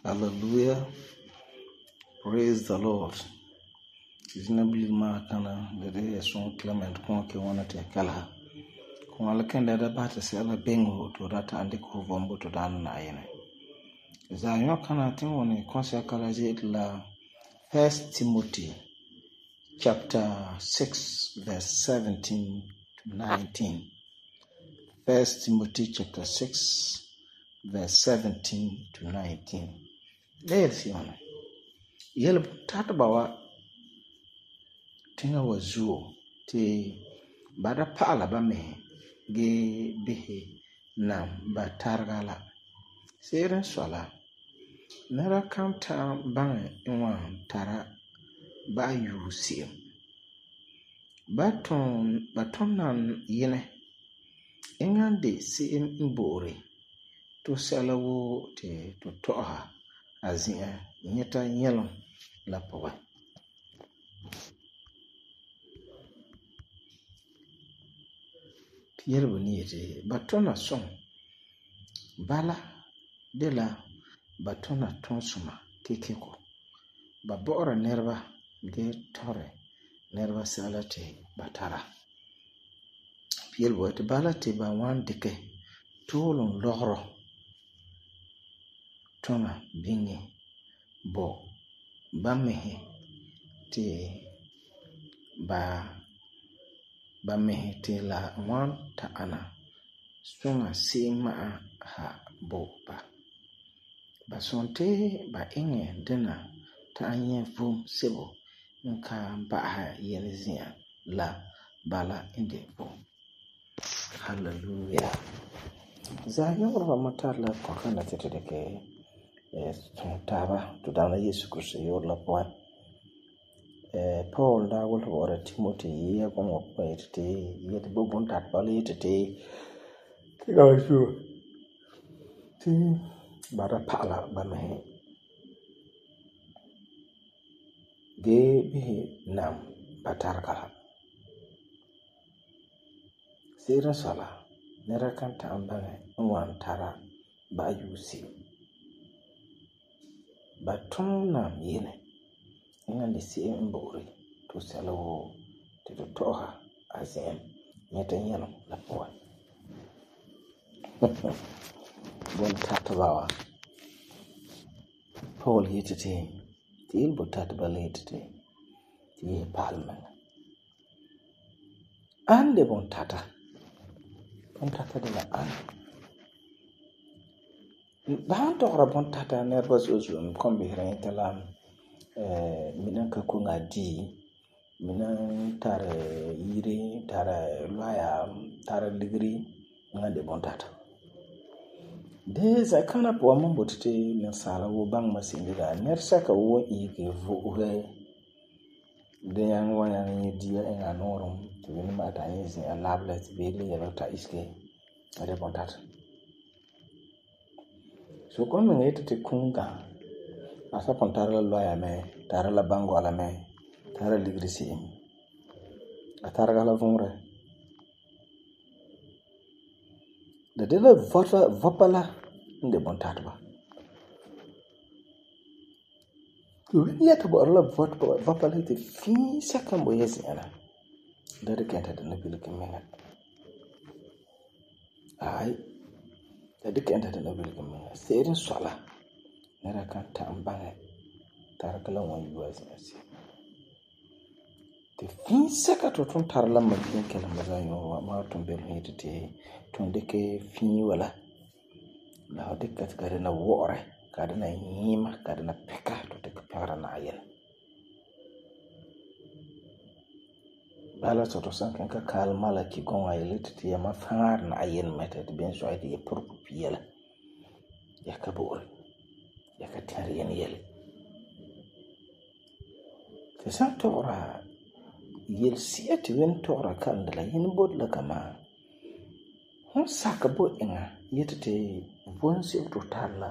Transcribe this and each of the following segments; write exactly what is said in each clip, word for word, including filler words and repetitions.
Hallelujah. Praise the Lord. Reasonably ma kana the day son Clement Conke wanted to kala. Kumalakenda da bata sela bengo to that and the kovombo to dan naine. Zayon kana tin woni konse kala je la First Timothy chapter six verse seventeen to nineteen. First Timothy chapter six verse seventeen to nineteen. There's yon. Yellow tatabawa tinga wazuo te bada pala ba me ge bihe na batargala. Seren swala. Nara kanta bang inwa tara ba yu siyo. Baton baton nan yene. Ingande si im imbore. To salawo te to toha azia nyeta nyelon la powa. Yerbo niyete batona son bala de la batona tonsuma kekeko ba bora nerva ge tore nerva salate batara yerbo te bala te ba wan deke tolon lohro tona bingi bo bamehe te ba bamehe te la wan ta ana sunga sima ha bo ba basonte ba inge dena ta anye fum sebo nka ba ha yelizia la bala inde bo. Hallelujah. Za yoro matar la kokana tete deke eh taba to dana Yesu Kristo yor la po eh Paul da wol wora Timothy ya ko mo kwete yete bobon tat bale tete tiga shu ti bara pala ba me ge bi nam batarkala sira sala nera kanta ambane wan tara ba yusi baton nam yene ingande si mbori to salo te to toha azem nyeta nyano la poa bon tatabawa Paul yitete til bo tatbale yitete ti palma ande bon tata bon tata de la an ba to ra bon tata nervous uzum kombe rentala eh minan ka kunga di minan tare yiri tare loya tare degree ngande bon tata de za kana po mambo tete ne sala wo bang masindira nersa ka wo ike vo he de yang wa yang dia en anorum to ni mata yin a lablet be le ya ta iske ade bon tata so kon me tete kunga asa pontare la loya me tare la bango ala me tare ligrisi atare la vongre de de la vota vopala inde bon tatba to ya to bo la vot vopala te fi sakambo yesi ana de de kenta de nabil kimena ai la dikɛ enda dana wilege menga se'ere n sɔi la nɛra kan ta'am baŋɛ tarega la wan yue a zi'an se'em. Ti fii sɛka ti fu tugum tara la machine kɛlɛm ba za'a yu'urɛ wa, ma tugum belum yeti ti tugum dikɛ fii wa la la fu dikɛ ka ti ka dɛna wɔ'ɔrɛ, ka dɛna nyiima, ka dɛna pɛka ti fu dikɛ pɛgera Na'ayinɛ. Bala ti tu san kiŋɛ ka kaal malaki gɔŋɔ yele ti yamam faara Na'ayinɛ mɛ ti beni sɔi ti ya pure pupia la. Ya ka bo'ore. Ya ka tɛra yene yele. Ti san tɔgera yelesi'a ti Wini tɔgera kalam de la yene boti la ka ma'a. Hon sakɛ bo eŋa yeti ti vom sebo ti fu tara la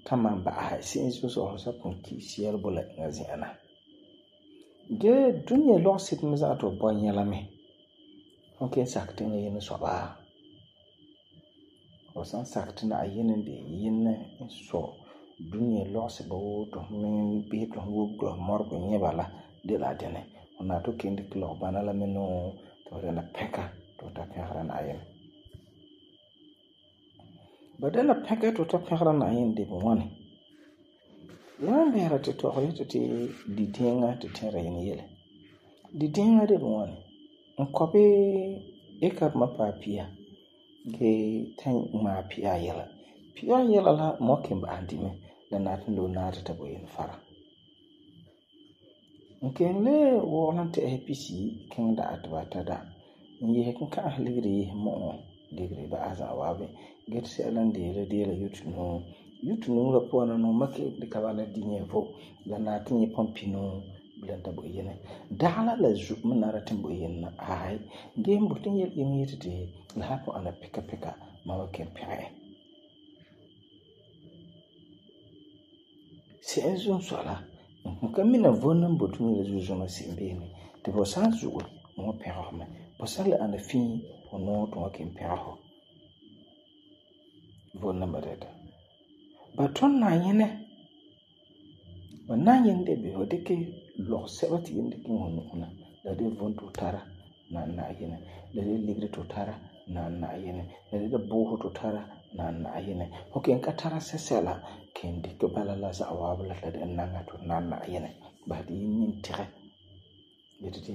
kan man ba'asɛ se'em zo'e zo'e fu san pugum ki'isi yɛla bo la eŋa zi'an na. Gee dunia lɔgeseto me za'a ti fu bɔ nyɛ la me. Fu kelum sakɛ ti eŋa yene sɔi ba. Fu san sakɛ ti Na'ayinɛ n de yene n sɔi dunia lɔgeseba woo ti fu me bisɛ ti fu wugɛ mɔregɔ nyɛ ba la de la dɛna. Fu nari ti fu kelum dikɛ lɔgebana la me nuu ti fu dɛna pɛka ti fu ta pɛgera Na'ayinɛ. Ba dɛna pɛka ti fu ta pɛgera Na'ayinɛ de ŋwani. Yamam bisera ti tɔgɛ yeti ti dideeŋa ti tɛra yene yele. Dideeŋa de ŋwani. N kɔbi ekarema paɛ pia gee ta ŋmaa pia ayɛla. Pia ayɛla la mɔ kelum ba'asɛ di mɛ la nari ti loe naɛ ti ta bo yene fara. N kelum le wɔgelum tɛ'ɛsa pisiyi kiŋɛ da'a ti ba ta da. N yese kinka'asi ligeri yese mu'uŋɔ ligeri ba'asɛ za'a waabi gee ti sɛla n de la de la yutenuu. Yutenuu la puan na nuu ma kelum dikɛ bala di nyɛ vo la nari ti nyɛ pɔmpinuu bilam ta bo yene. Dagela la zu me nari ti bo yene na ai gee n boti n yele yene yeti ti la san pugum ana pika pika ma wan kelum pɛgɛ e. Se'em zo'e sɔi la n ka mina vom nan boti dunia la zuo zɔna se'em beene ti fu san zu'e n wan pɛgɛ fu mɛ. Fu san le ana fii fu nuu ti fu wan kelum pɛgɛ fu. Vom namba dɛta. Ba tun Na'ayinɛ. Ba Na'ayinɛ de be fu dikɛ lɔgesɛba ti yele dikɛ iŋɛ fu nu'usi na la de vom ti fu tara na Na'ayinɛ. La de ligeri ti fu tara na Na'ayinɛ. La de buusi ti fu tara na Na'ayinɛ. Fu kelum ka tara sɛsɛla kelum dikɛ bala la za'a waabi la ti la de naŋa ti fu nari Na'ayinɛ. Basɛ ti yi nimtegɛ. Yeti ti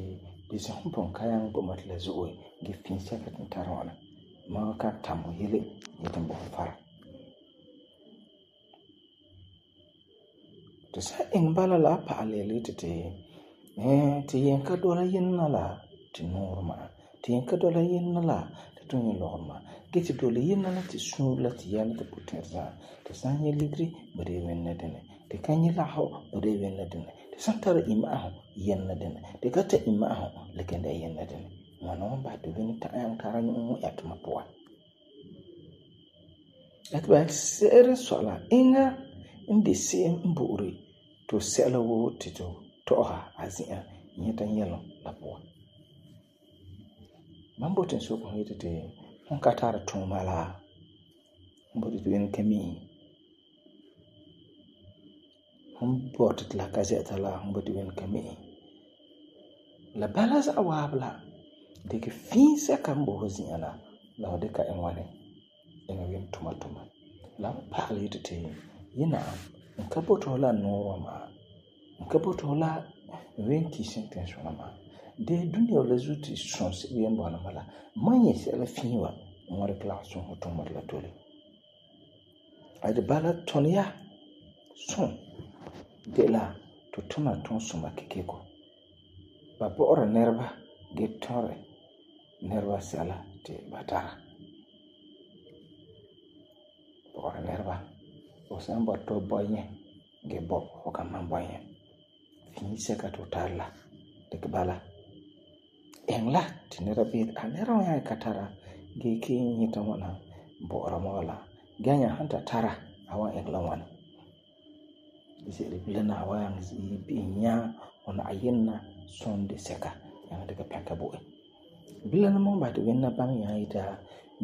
bisɛ fu pugum ka nyaŋɛ bo ma ti la zo'e gee fii sɛka ti n tara ŋwana. Ma kan tam fu yele yeti n bo fu fara. Ti san iŋɛ bala la a pa'alɛ yele yeti ti eh ti yen ka dɔla yene na la ti nuurɛ ma'a. Ti yen ka dɔla yene na la ti tu nyɛ lɔgerɛ ma'a. Gee ti dɔla yene na la ti suure la ti yɛla ti puti'irɛ za'a. Ti san nyɛ ligeri ba de wini la dini. Ti ka nyɛ lagefɔ ba de wini la dini. Ti san tara imma'asum yene la dini. Ti ka ta imma'asum la kelum dɛna yene la dini. Ŋwana wan basɛ ti wini ta'am tara nu'usi ŋmɛ'a tuma puan. La ti ba se'ere n sɔi la eŋa n de se'em n bo'ori ti sɛla woo ti tu tɔ'ɔsa a zi'an nyɛta nyɛlum la puan. Mam boti n soke fu yeti ti fum ka tari tuuma la fum boti ti wini ka mi'i. Fum boti ti la ka zɛ'ɛta la fum boti wini ka mi'i. La bala za'a waabi la dikɛ fii sɛka n bo fu zi'an la la fu dikɛ iŋɛ ŋwani iŋɛ wini tuma tuma. La wan pa'alɛ yeti ti yina n ka boti fu la nuurɛ ma'a. N ka boti fu la wini kisi n tiŋa ma'a. De dunia la zuo ti sɔm sebo yen bɔna ma la ma nyɛ sɛla fii wa n wan dikɛ la sɔm fu tuuma la tole. A de bala tuni ya sɔm de la tu tuna tunsuma kekeko. Ba bo'ora nɛreba gee tɔri nɛreba sɛla ti ba tara. Bo'ora nɛreba. Fu san bɔta ti fu bɔ nyɛ gee bɔ fu kan man bɔ nyɛ. Fii sɛka ti fu tara la dikɛ bala. Eŋe la ti nɛra beere a nɛra wan nyaŋɛ ka tara gee kee nyɛta ŋwana bo'ora ma wala. Gee nya han ta tara a wan iŋɛ la ŋwana. Ze'ele bilam na a wan nyaŋɛ bi'ɛ nya fu Na'ayinɛ na sɔnde sɛka nyaŋɛ dikɛ pɛka bo e. Bilam la mam basɛ ti wini na baŋɛ nyaŋɛ yeti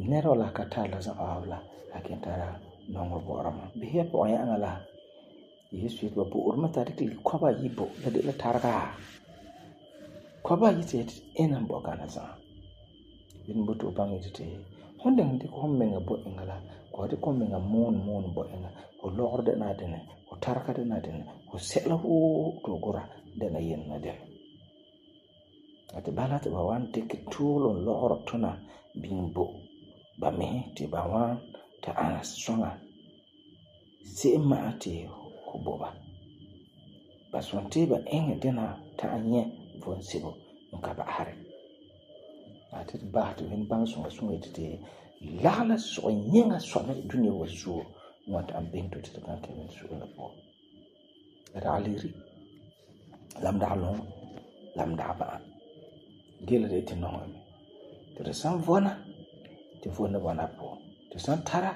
nɛra wa la ka tara la za'a waabi la a kelum tara nɔŋerɛ bo'ora ma. Bisɛ ya pɔgɔ yɛ'ɛŋa la Yesu yeti ba bo'ori ma ta dikɛ kɔba ayi bo la de la tarega. Kɔba ayi ti ina n bɔ gana za'a. Bini boti fu baŋɛ yeti ti hon den dikɛ hon menga bo eŋa la ko dikɛ hon menga moon moon bo eŋa ho lɔgɔrɔ dɛna dɛna ho tarega dɛna dɛna ho sɛla woo to gura dɛna yenna dɛna ati bala ti ba wan dikɛ tuulum lɔgɔrɔ tuna biŋ bo ba mihi ti ba wan ta ana soŋa se'em ma'a ti ho bo ba ba sonti ba eŋɛ dena ta'an nyɛ von sebo n ka ba'ahari ati ba ti win bang songa songa ti lagala so nyenga sɔna dunia wa zuo wan ta'an biŋ to ti kan kɛn so la po raaliri lam da long lam da ba gele de ti nonga mi ti san vona ti vona bona po ti san tara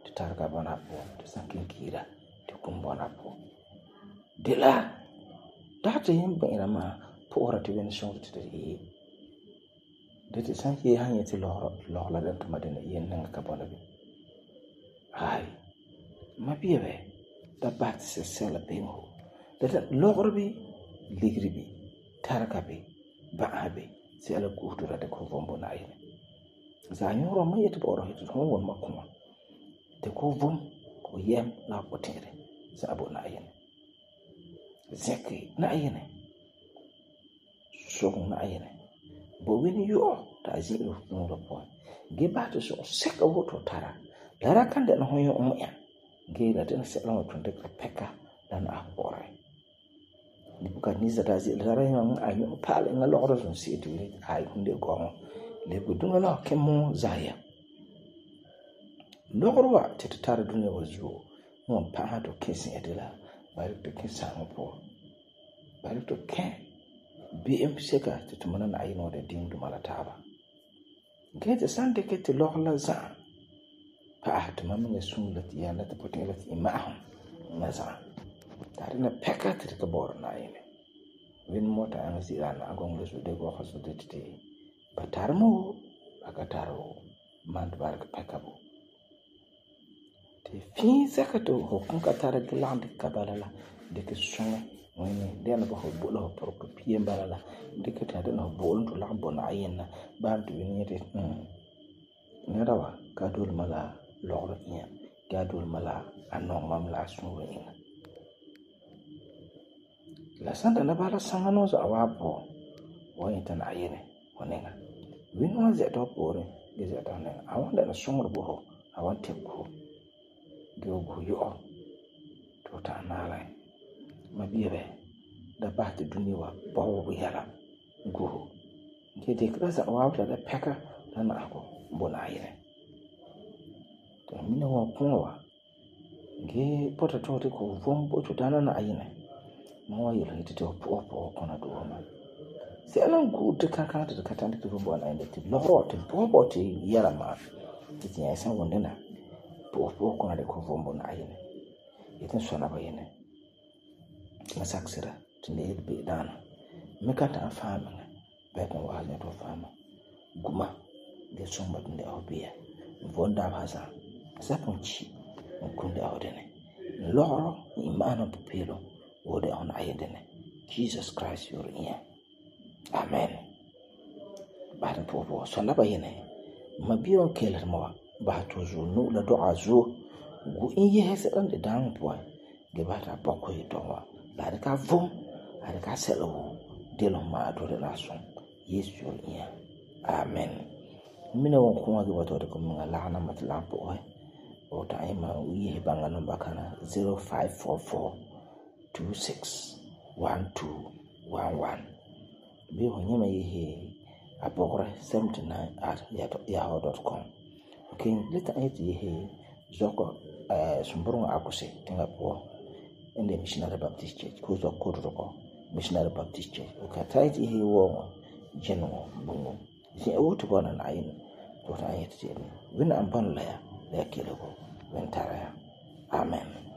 ti targa bona po ti san kinkira ti kum bona po de la da ti yin bɛra ma poora ti win songa ti ti de ti san ye han yeti lɔgɔ lɔgɔ la den tuma den yen nan ka bona bi ai ma biya be da bat se sela bingo da lɔgɔ bi ligri bi targa bi ba bi se ala kuhdura de ko vombo na yi za nyoro ma yeti boro hiti hon won ma kuma te ko vom ko yem la ko tere za abo na yi zeki na yi ne so na yi ne bo wini yo ta zero no lo po ge ba to so seka woto tara lara kan de no yo um ya ge da den se lo tun de peka dan a ore ni buka ni za da zi lara yo a yo pale nga lo ro so si tu ni ai hunde go le bu dunga la kemo zaya lo ro wa te tara dunya wa zuo mo pa ha to kesi edela ba to kesa mo po ba to ken B M seka ti tumana na ayi no de ding du malataba gete sande ke ti lokla za pa ah to mamme ne sun la ti yana ta potin la ti ma na za tare na peka ti ka bor na ayi ne win mota an zira na agon le su de go khaso de ti batar mo aka taro man bar ka peka bo ti fin saka to hokun ka tare gland ka balala de ke sunga wani dena ba ho bolo por ko piem balala dikata dena ho bolo to la bona ayena ba to ni te ne dawa ka dul mala lor nya ka dul mala anon mam la sunwe ina la santa na bala sangano za wapo wani tan ayene wonenga win wa ze to pore ge ze to ne awanda na sumur bo ho awante ko ge go yo to ta na lai ma biebe da bahti dunia wa bawo yala go ke de krasa wa da peka da na ko bona yene to mina wa kunwa ge pota to te ko vombo to dana na ayine ma wa yele te to po po kona do ma se alan ku te kan kan te ka tan te vombo na inde te loro te bobo te yala ma te ya san wonde na po po kona de ko vombo na ayine ite so na ba yene masaksira tinde be dana me kata fama be ko wala to fama guma de somba tinde obia vonda basa sapunchi kunde awdene loro imana pupilo wode on ayedene Jesus Christ your ear amen badan popo sonna bayene mabiyo keler mo ba to zo no la do azu gu inye hese dan de dan po ge bata bokko yitonwa la ka vom la ka selo de lo ma do de la son Yesu your ear amen mina won ko ngi wato de ko nga la na matla po o ta ima uye banga number kana zero five four four two six one two one one bi ho nyama yi apokore seventy nine at yahoo dot com okay leta eti yi zoko eh sumburunga akuse tinga po ende missionary baptist church ko zo ko ko missionary baptist church okay taiti yi wo jeno bungo si awuto bona na yin to ta yeti wina amban la ya la kele ko wentara amen.